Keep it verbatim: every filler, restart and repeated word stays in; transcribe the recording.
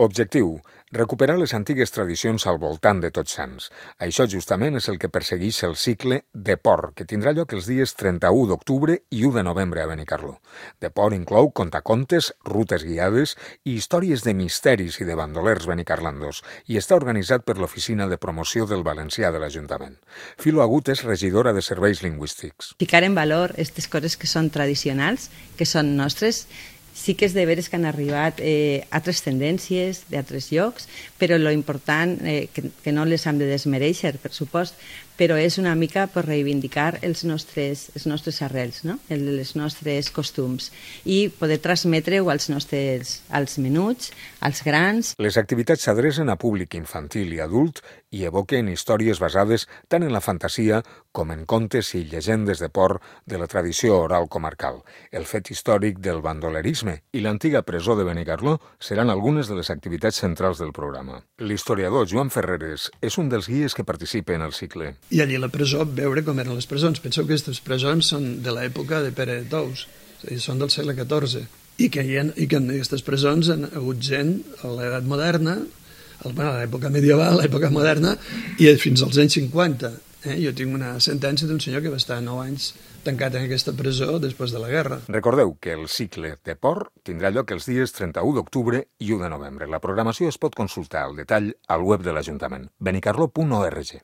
Objectiu: recuperar les antigues tradicions al voltant de Tots Sants. Això justament és el que persegueix el cicle Deport, que tindrà lloc els dies trenta-u d'octubre i u de novembre a Benicarló. Deport inclou contacontes, rutes guiades i històries de misteris i de bandolers benicarlandos i està organitzat per l'Oficina de Promoció del Valencià de l'Ajuntament. Filo Agut és regidora de Serveis Lingüístics. Ficar en valor aquestes coses que són tradicionals, que són nostres. Sí que és de veres que han arribat eh, altres tendències d'altres llocs, però lo important, eh, que, que no les hem de desmereixer, per supost, però és una mica per reivindicar els nostres, els nostres arrels, no? Els nostres costums, i poder transmetre-ho als nostres als menuts, als grans. Les activitats s'adrecen a públic infantil i adult i evoquen històries basades tant en la fantasia com en contes i llegendes de port de la tradició oral comarcal. El fet històric del bandolerisme i l'antiga presó de Benicarló seran algunes de les activitats centrals del programa. L'historiador Joan Ferreres és un dels guies que participa en el cicle. I allí a la presó veure com eren les presons. Penseu que aquestes presons són de l'època de Pere de Tous, és a dir, són del segle catorze, i que, ha, i que en aquestes presons han hagut gent a l'edat moderna, a l'època medieval, a l'època moderna, i fins als anys cinquanta. Eh? Jo tinc una sentència d'un senyor que va estar nou anys tancat en aquesta presó després de la guerra. Recordeu que el cicle Deport tindrà lloc els dies trenta-u d'octubre i u de novembre. La programació es pot consultar al detall al web de l'Ajuntament, benicarló punt org.